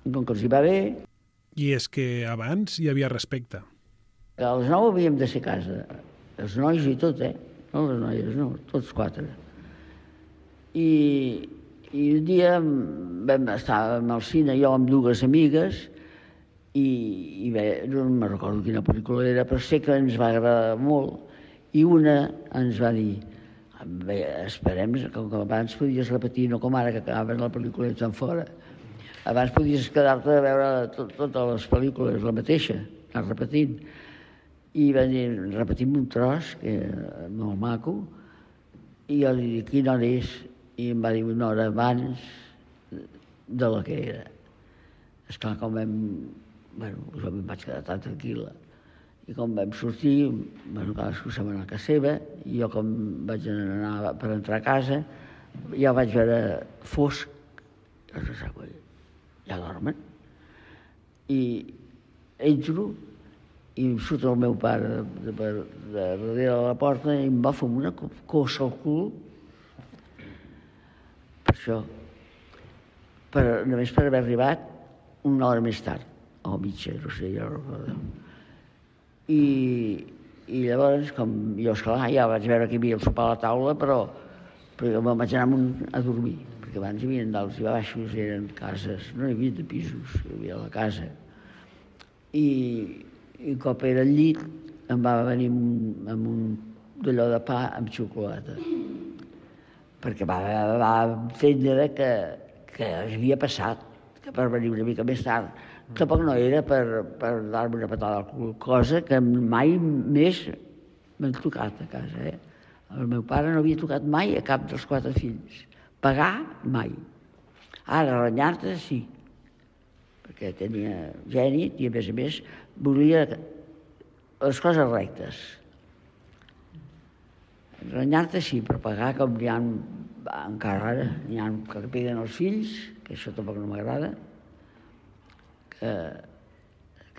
Com que els hi va bé... I és que abans hi havia respecte. A les nou havíem de ser a casa. Els nois i tot, eh? No les noies, no, tots quatre. I, i un dia vam estar al cine, jo amb dues amigues, i, i bé, no me'n recordo quina pel·lícula era, però sé que ens va agradar molt. I una ens va dir, bé, esperem, com que abans podies repetir, no com ara que acabaven la pel·lícula i tan fora. Abans podies quedar-te a veure tot, totes les pel·lícules, la mateixa, anar repetint. I van dir, repetim un tros, que era molt maco, i jo li dic, quina hora és? I em va dir una hora abans de la que era. Esclar, com vam... Bueno, jo em vaig quedar tan tranquil·la. I com vam sortir, bueno, cadascú se'n va anar a casa seva, i jo com vaig anar per entrar a casa, ja vaig veure fosc, ja dormen. I entro, i em surt el meu pare de, de, de darrere de la porta i em va fer una cossa al cul. Per això, per, només per haver arribat una hora més tard o mitja, no sé, jo no recordo. I, i llavors, com jo, esclar, ja vaig veure que hi havia el sopar a la taula, però, però jo me'n vaig anar un, a dormir, perquè abans hi havia d'alts i baixos, eren cases, no hi havia de pisos, hi havia la casa. I, i un cop era al llit, em va venir amb un, amb un d'allò de pa amb xocolata, perquè va, va entendre que, que havia passat, que per venir una mica més tard. Tampoc no era per, per dar-me una patada al cul, cosa que mai més m'han tocat a casa. Eh? El meu pare no havia tocat mai a cap dels quatre fills. Pagar, mai. Ara, renyar-te, sí, perquè tenia gènit i, a més a més, volia les coses rectes. Renyar-te, sí, però pagar, com n'hi ha encara ara, n'hi ha que peguen els fills, que això tampoc no m'agrada, que,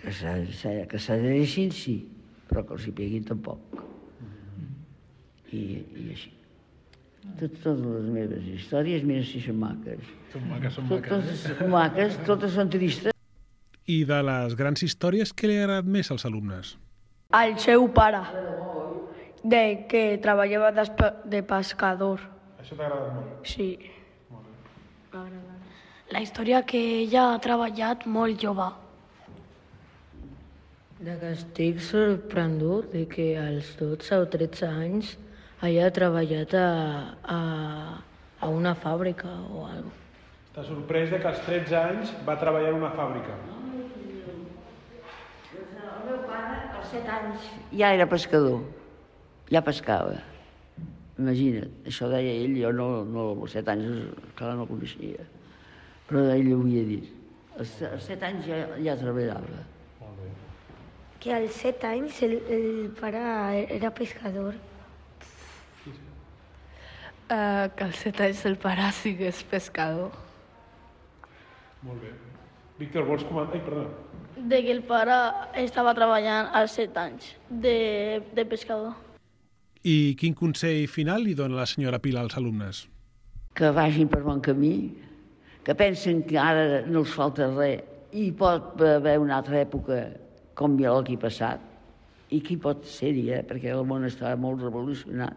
que s'adhereixin, sí, però que els hi peguin tampoc. I, i així. Tot, totes les meves històries, mira si són maques. Són maques, són maques. maques. Totes maques, totes són tristes. I de les grans històries, què li ha agradat més als alumnes? Al seu pare, de que treballava de pescador. Això t'ha agradat molt? Sí. M'ha agradat. La història que ella ha treballat molt jove. De que estic sorprendut de que als dotze o tretze anys haya treballat a, a, a una fàbrica o alguna cosa. Està sorprès de que als tretze anys va treballar en una fàbrica. El meu pare, als set anys, ja era pescador. Ja pescava. Imagina't, això deia ell, jo no, no als set anys, clar, no el coneixia. Però ell ho havia dit. Als set anys ja, ja treballava. Que als set anys el, el pare era pescador. Uh, que als set anys el pare sigués pescador. Molt bé. Víctor, vols comentar? Ai, perdó. De que el pare estava treballant als set anys de, de pescador. I quin consell final li dona la senyora Pilar als alumnes? Que vagin per bon camí, que pensen que ara no els falta res i pot haver una altra època com el que ha passat, i qui pot ser-hi, eh? Perquè el món està molt revolucionat,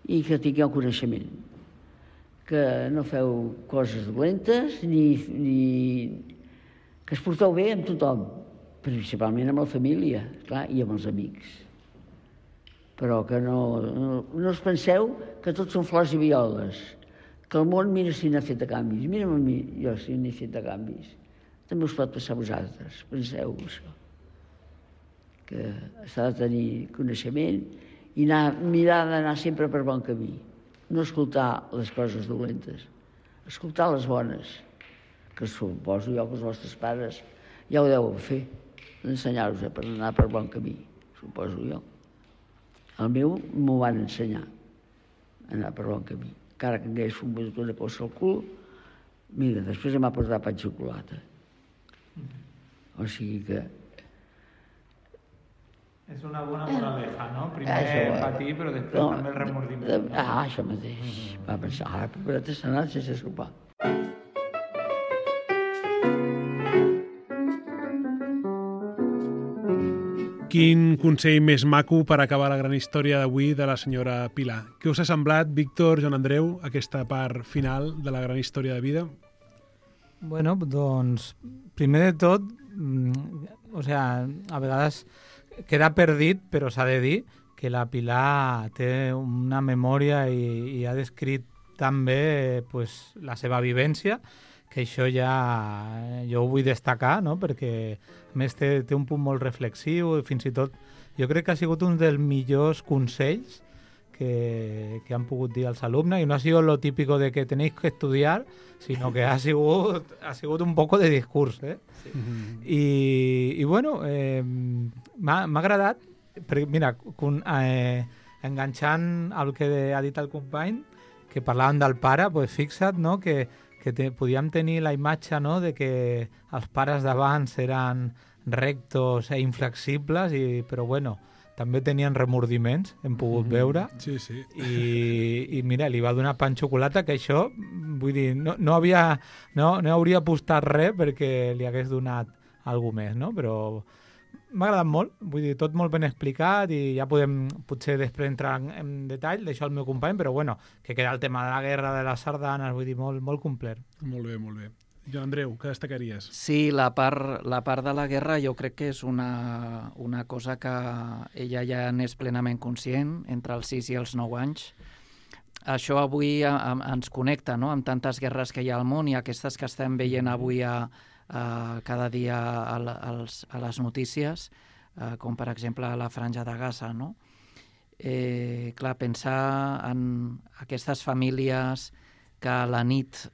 i que tingueu coneixement, que no feu coses dolentes, ni, ni... que es porteu bé amb tothom, principalment amb la família, clar, i amb els amics. Però que no, no, no us penseu que tots són flors i violes, que el món, mira si n'ha fet de canvis, mira'm a mi, jo si n'he fet de canvis. També us pot passar a vosaltres, penseu això. Que s'ha de tenir coneixement i anar, mirar d'anar sempre per bon camí. No escoltar les coses dolentes, escoltar les bones, que suposo jo que els vostres pares ja ho deuen fer, ensenyar-vos per anar per bon camí, suposo jo. El meu m'ho van ensenyar, anar per bon camí. Encara que hagués fumat una cosa al cul, mira, després em va portar pa de xocolata. O sigui que... És una bona moraleja, no? Primer patir, però després no, també el remordiment. Ah, això mateix. Va pensar, ara prepara't s'ha anat sense sopar. Quin consell més maco per acabar la gran història d'avui de la senyora Pilar. Què us ha semblat, Víctor, Joan Andreu, aquesta part final de la gran història de vida? Bueno, doncs, primer de tot, mm, o sea, a vegades queda perdit, però s'ha de dir que la Pilar té una memòria i, i ha descrit tan bé pues, la seva vivència, que això ja jo ho vull destacar, no? Perquè a més té, té un punt molt reflexiu i fins i tot jo crec que ha sigut un dels millors consells que, que han pogut dir als alumnes, i no ha sigut lo típico de que tenéis que estudiar, sinó que ha sigut, ha sigut un poco de discurs, eh? Sí. Mm-hmm. I, i bueno, eh, m'ha agradat, perquè, mira, con, eh, enganxant el que ha dit el company, que parlàvem del pare, pues fixa't, no?, que que te, podíem tenir la imatge, no?, de que els pares d'abans eren rectos e inflexibles, i, però bueno, també tenien remordiments, hem pogut mm-hmm. veure. Sí, sí. I, i mira, li va donar pa amb xocolata, que això, vull dir, no, no, havia, no, no hauria apostat res perquè li hagués donat algú més, no? Però m'ha agradat molt, vull dir, tot molt ben explicat i ja podem potser després entrar en, en detall, d'això el meu company, però bueno, que queda el tema de la guerra, de les sardanes, vull dir, molt, molt complet. Molt bé, molt bé. Joan Andreu, què destacaries? Sí, la part, la part de la guerra jo crec que és una, una cosa que ella ja n'és plenament conscient, entre els sis i els nou anys. Això avui a, a, ens connecta, no?, amb tantes guerres que hi ha al món i aquestes que estem veient avui a, a cada dia a, a, a les notícies, eh, com per exemple a la Franja de Gaza, no? Eh, clar, pensar en aquestes famílies que a la nit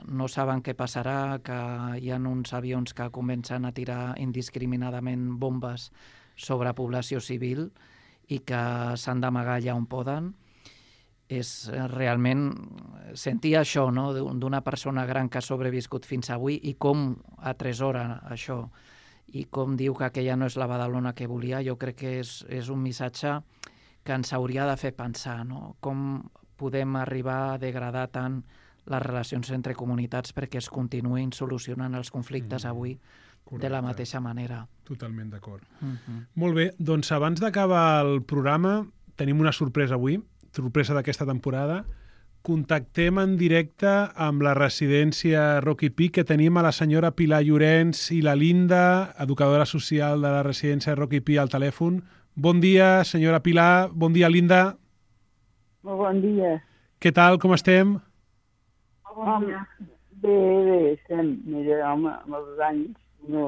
no saben què passarà, que hi ha uns avions que comencen a tirar indiscriminadament bombes sobre població civil i que s'han d'amagar allà on poden, és realment sentir això, no?, d'una persona gran que ha sobreviscut fins avui i com atresora això i com diu que aquella no és la Badalona que volia. Jo crec que és, és un missatge que ens hauria de fer pensar, no?, com podem arribar a degradar tant les relacions entre comunitats perquè es continuïn solucionant els conflictes mm, avui correcte. De la mateixa manera. Totalment d'acord. Mm-hmm. Molt bé, doncs abans d'acabar el programa tenim una sorpresa avui, sorpresa d'aquesta temporada. Contactem en directe amb la residència Rocky Peak, que tenim a la senyora Pilar Llorenç i la Linda, educadora social de la residència Rocky Peak, al telèfon. Bon dia, senyora Pilar. Bon dia, Linda. Molt bon dia. Què tal, com estem? Bon dia. Bé, bé, estem. Mira, home, amb els anys no,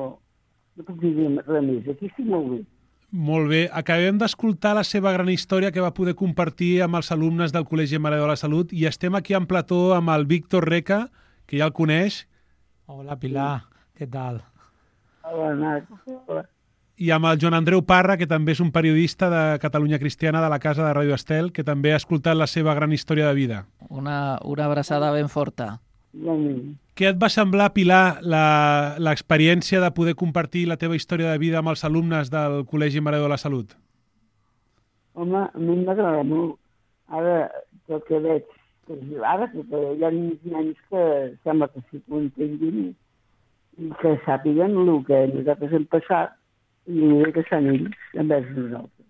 no puc dir res més. Aquí estic molt bé. Molt bé. Acabem d'escoltar la seva gran història que va poder compartir amb els alumnes del Col·legi Mare de la Salut i estem aquí en plató amb el Víctor Reca, que ja el coneix. Hola, Pilar. Què tal? Hola, Nat. Hola. I amb el Joan Andreu Parra, que també és un periodista de Catalunya Cristiana de la Casa de Ràdio Estel, que també ha escoltat la seva gran història de vida. Una, una abraçada ben forta. Igualment. Què et va semblar, Pilar, l'experiència de poder compartir la teva història de vida amb els alumnes del Col·legi Mare de la Salut? Home, a mi m'agrada molt. Ara, tot que veig, ara que hi ha nens que sembla que sí que ho entenguin i que sàpiguen el que nosaltres hem passat i que són ells envers nosaltres.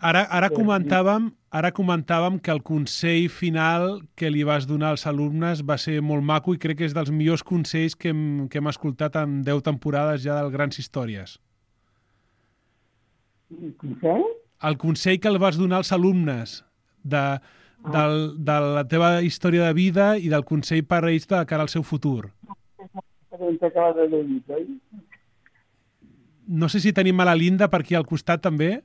Ara, ara, comentàvem, ara comentàvem que el consell final que li vas donar als alumnes va ser molt maco i crec que és dels millors consells que hem, que hem escoltat en deu temporades ja del Grans Històries. El consell? El consell que el vas donar als alumnes de, del, de la teva història de vida i del consell per a ells de cara al seu futur. No sé si tenim a la Linda per aquí al costat també.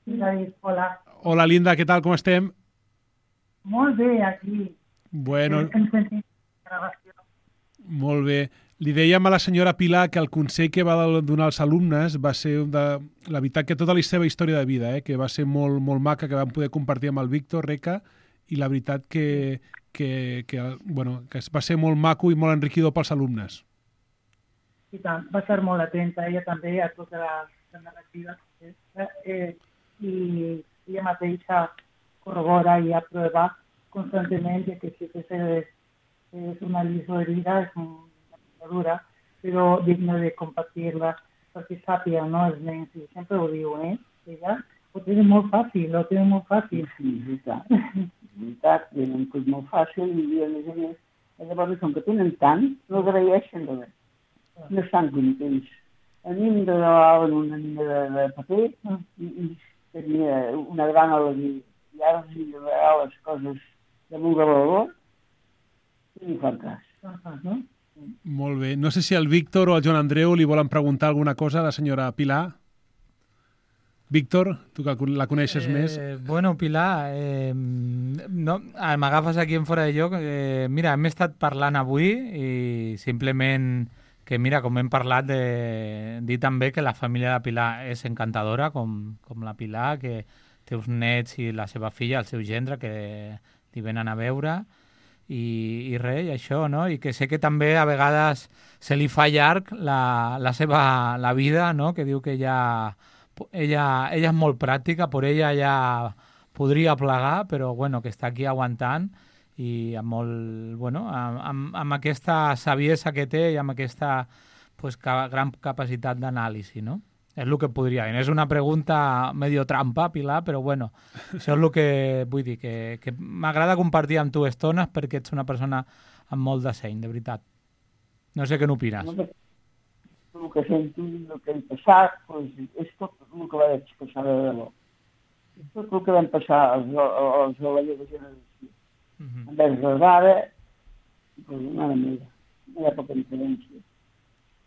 Hola. Hola, Linda, què tal, com estem? Molt bé, aquí. Bueno, Hem sentit gravació. molt bé. Li dèiem a la senyora Pilar que el consell que va donar als alumnes va ser, de, la veritat, que tota la seva història de vida, eh, que va ser molt, molt maca, que vam poder compartir amb el Víctor Reca, i la veritat que, que, que, bueno, que va ser molt maco i molt enriquidor pels alumnes. I tant, va ser molt atenta, ella també, a totes les narratives. Eh, eh, i ella mateixa corrobora i aprova constantment que sí que és, és una lliçó de vida, és una dura, però digna de compartir-la perquè sàpiga, no, els nens, i sempre ho diu, eh? Ella ho té molt fàcil, ho té molt fàcil. Sí, és veritat. És veritat, tenen tot molt fàcil i a més a més, llavors com que tenen tant, no agraeixen res. No estan contents. A mi em regalaven una nina de, de paper i, i tenia una gran alegria. I ara els regalo les coses de molt de valor i ni fan cas. No? Molt bé. No sé si el Víctor o el Joan Andreu li volen preguntar alguna cosa a la senyora Pilar. Víctor, tu que la coneixes eh, més. Bueno, Pilar, eh, no, m'agafes aquí en fora de lloc. Eh, mira, hem estat parlant avui i simplement que, mira, com hem parlat, de dir també que la família de Pilar és encantadora, com, com la Pilar, que té uns nets i la seva filla, el seu gendre, que li venen a veure, i, i res, i això, no? I que sé que també a vegades se li fa llarg la, la seva la vida, no? Que diu que ella, ella, ella és molt pràctica, per ella ja podria plegar, però bueno, que està aquí aguantant, i amb, molt, bueno, amb, amb, amb aquesta saviesa que té i amb aquesta pues, ca gran capacitat d'anàlisi, no? És el que podria dir. És una pregunta medio trampa, Pilar, però bueno, això és el que vull dir, que, que m'agrada compartir amb tu estones perquè ets una persona amb molt de seny, de veritat. No sé què n'opines. No, el que sento, el que hem passat, pues, és tot el que vaig passar de debò. És tot el que vam passar als, als de la meva generació. Uh -huh. Envers les ara, pues, mare meva, no hi ha poca diferència.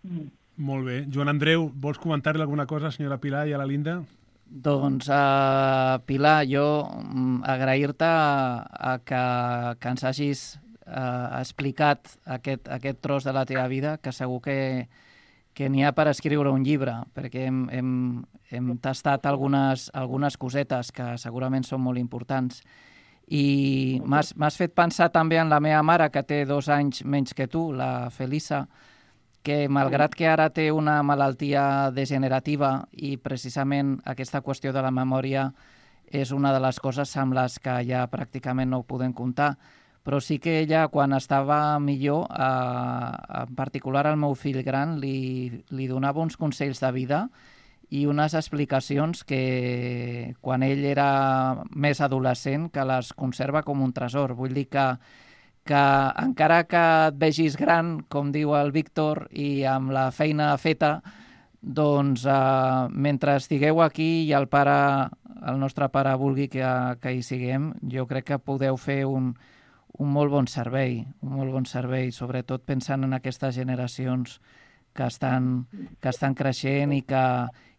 Mm. Molt bé. Joan Andreu, vols comentar-li alguna cosa a la senyora Pilar i a la Linda? Doncs, uh, Pilar, jo um, agrair-te a que, que ens hagis uh, explicat aquest, aquest tros de la teva vida, que segur que, que n'hi ha per escriure un llibre, perquè hem, hem, hem tastat algunes, algunes cosetes que segurament són molt importants. I m'has fet pensar també en la meva mare, que té dos anys menys que tu, la Felisa, que malgrat que ara té una malaltia degenerativa i precisament aquesta qüestió de la memòria és una de les coses amb les que ja pràcticament no ho podem comptar, però sí que ella, quan estava millor, eh, en particular al meu fill gran, li, li donava uns consells de vida i unes explicacions que, quan ell era més adolescent, que les conserva com un tresor. Vull dir que que encara que et vegis gran, com diu el Víctor, i amb la feina feta, doncs eh, mentre estigueu aquí i el pare, el nostre pare vulgui que, que hi siguem, jo crec que podeu fer un, un molt bon servei, un molt bon servei, sobretot pensant en aquestes generacions que estan, que estan creixent i que,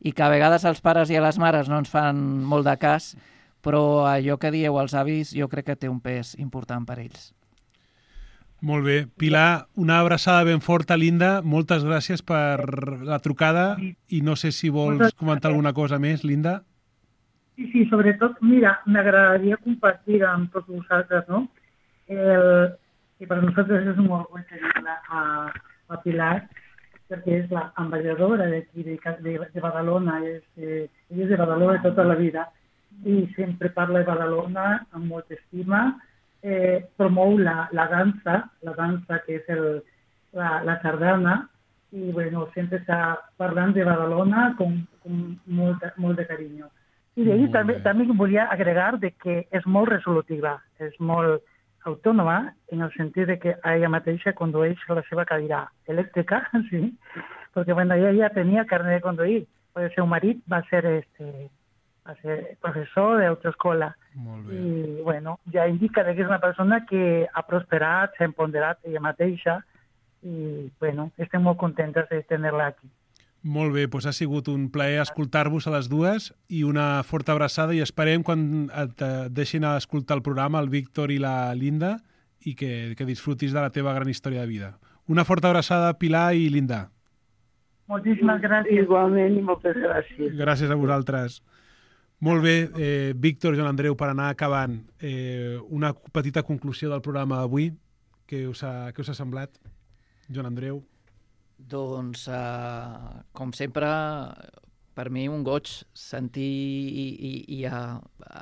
i que a vegades els pares i a les mares no ens fan molt de cas, però allò que dieu als avis jo crec que té un pes important per ells. Molt bé. Pilar, una abraçada ben forta, Linda. Moltes gràcies per la trucada i no sé si vols comentar alguna cosa més, Linda. Sí, sí, sobretot, mira, m'agradaria compartir amb tots vosaltres, no? El, que per nosaltres és un orgull tenir-la a, a Pilar, perquè és l'ambaixadora d'aquí, de, de, de Badalona, és, eh, és de Badalona tota la vida i sempre parla de Badalona amb molta estima. Eh, promou la, la dansa, la dansa que és el, la, la sardana, i bueno, sempre està parlant de Badalona com, com molt, molt de carinyo. I d'ahir també, també volia agregar de que és molt resolutiva, és molt autònoma, en el sentit de que ella mateixa condueix la seva cadira elèctrica, sí, perquè bueno, ella ja tenia carnet de conduir, perquè el seu marit va ser este, a ser professor d'autoescola. I, bueno, ja indica que és una persona que ha prosperat, s'ha empoderat ella mateixa i, bueno, estem molt contentes de tenir-la aquí. Molt bé, doncs ha sigut un plaer escoltar-vos a les dues i una forta abraçada i esperem quan et deixin escoltar el programa el Víctor i la Linda i que, que disfrutis de la teva gran història de vida. Una forta abraçada, Pilar i Linda. Moltíssimes gràcies. Igualment i moltes gràcies. Gràcies a vosaltres. Molt bé, eh, Víctor, Joan Andreu, per anar acabant, eh, una petita conclusió del programa d'avui. Què us ha, què us ha semblat? Joan Andreu? Doncs, eh, com sempre, per mi un goig sentir i, i, i a,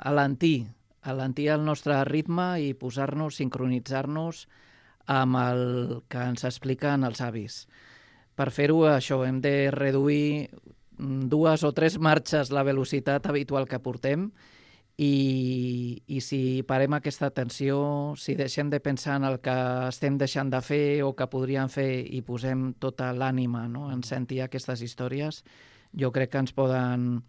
alentir, alentir el nostre ritme i posar-nos, sincronitzar-nos amb el que ens expliquen els avis. Per fer-ho, això, hem de reduir dues o tres marxes la velocitat habitual que portem i, i si parem aquesta atenció, si deixem de pensar en el que estem deixant de fer o que podríem fer i posem tota l'ànima, no?, en sentir aquestes històries, jo crec que ens poden,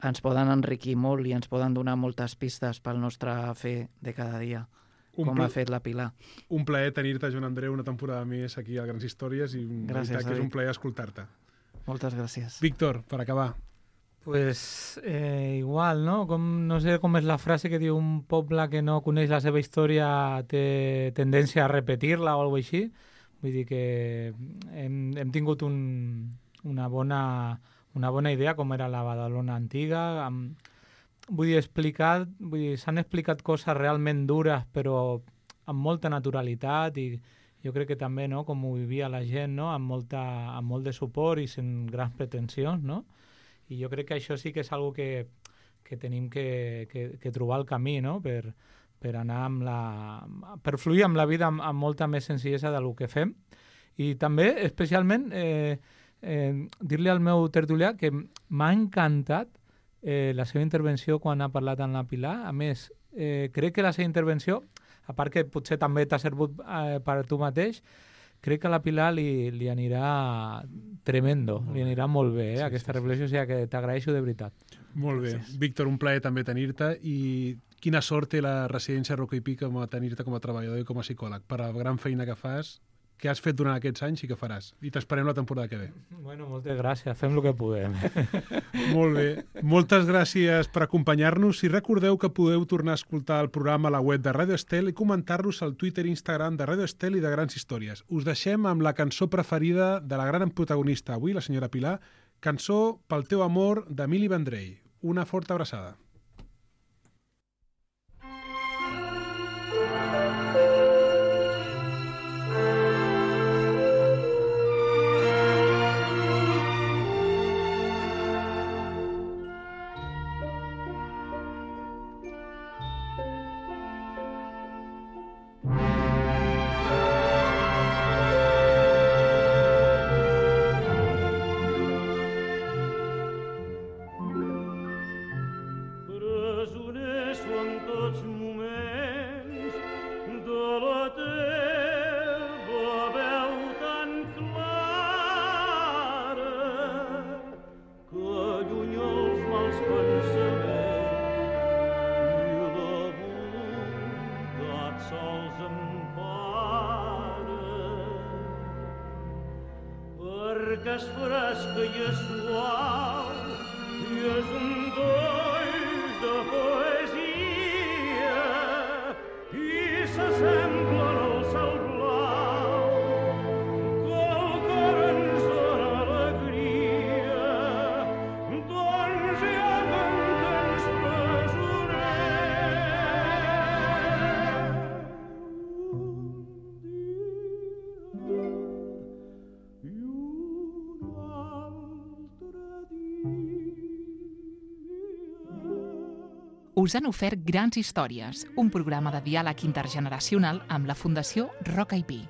ens poden enriquir molt i ens poden donar moltes pistes pel nostre fer de cada dia, com ha fet la Pilar. Un plaer tenir-te, Joan Andreu, una temporada més aquí a Grans Històries i gràcies, que és un plaer escoltar-te. Moltes gràcies. Víctor, per acabar. Pues eh, igual, no? Com, no sé com és la frase que diu un poble que no coneix la seva història té tendència a repetir-la o alguna cosa així. Vull dir que hem, hem tingut un, una, bona, una bona idea com era la Badalona antiga. Amb, vull dir, explicat, vull dir, s'han explicat coses realment dures però amb molta naturalitat i jo crec que també, no?, com ho vivia la gent, no?, amb, molta, amb molt de suport i sense grans pretensions, no? I jo crec que això sí que és una que, que tenim que, que, que trobar el camí, no?, per, per anar amb la... per fluir amb la vida amb, amb molta més senzillesa del que fem. I també, especialment, eh, eh, dir-li al meu tertulià que m'ha encantat eh, la seva intervenció quan ha parlat amb la Pilar. A més, eh, crec que la seva intervenció, a part que potser també t'ha servut eh, per tu mateix, crec que a la Pilar li, li anirà tremendo, li anirà molt bé eh, sí, aquesta sí, reflexió, sí. O sigui que t'agraeixo de veritat. Molt bé. Gràcies. Víctor, un plaer també tenir-te i quina sort té la residència Roca i Pi com a tenir-te com a treballador i com a psicòleg per la gran feina que fas, que has fet durant aquests anys i que faràs. I t'esperem la temporada que ve. Bueno, moltes gràcies. Fem el que podem. Molt bé. Moltes gràcies per acompanyar-nos. Si recordeu que podeu tornar a escoltar el programa a la web de Ràdio Estel i comentar-nos al Twitter i Instagram de Ràdio Estel i de Grans Històries. Us deixem amb la cançó preferida de la gran protagonista avui, la senyora Pilar, cançó Pel teu amor d'Emili Vendrell. Una forta abraçada. Us han ofert Grans Històries, un programa de diàleg intergeneracional amb la Fundació Roca i Pi.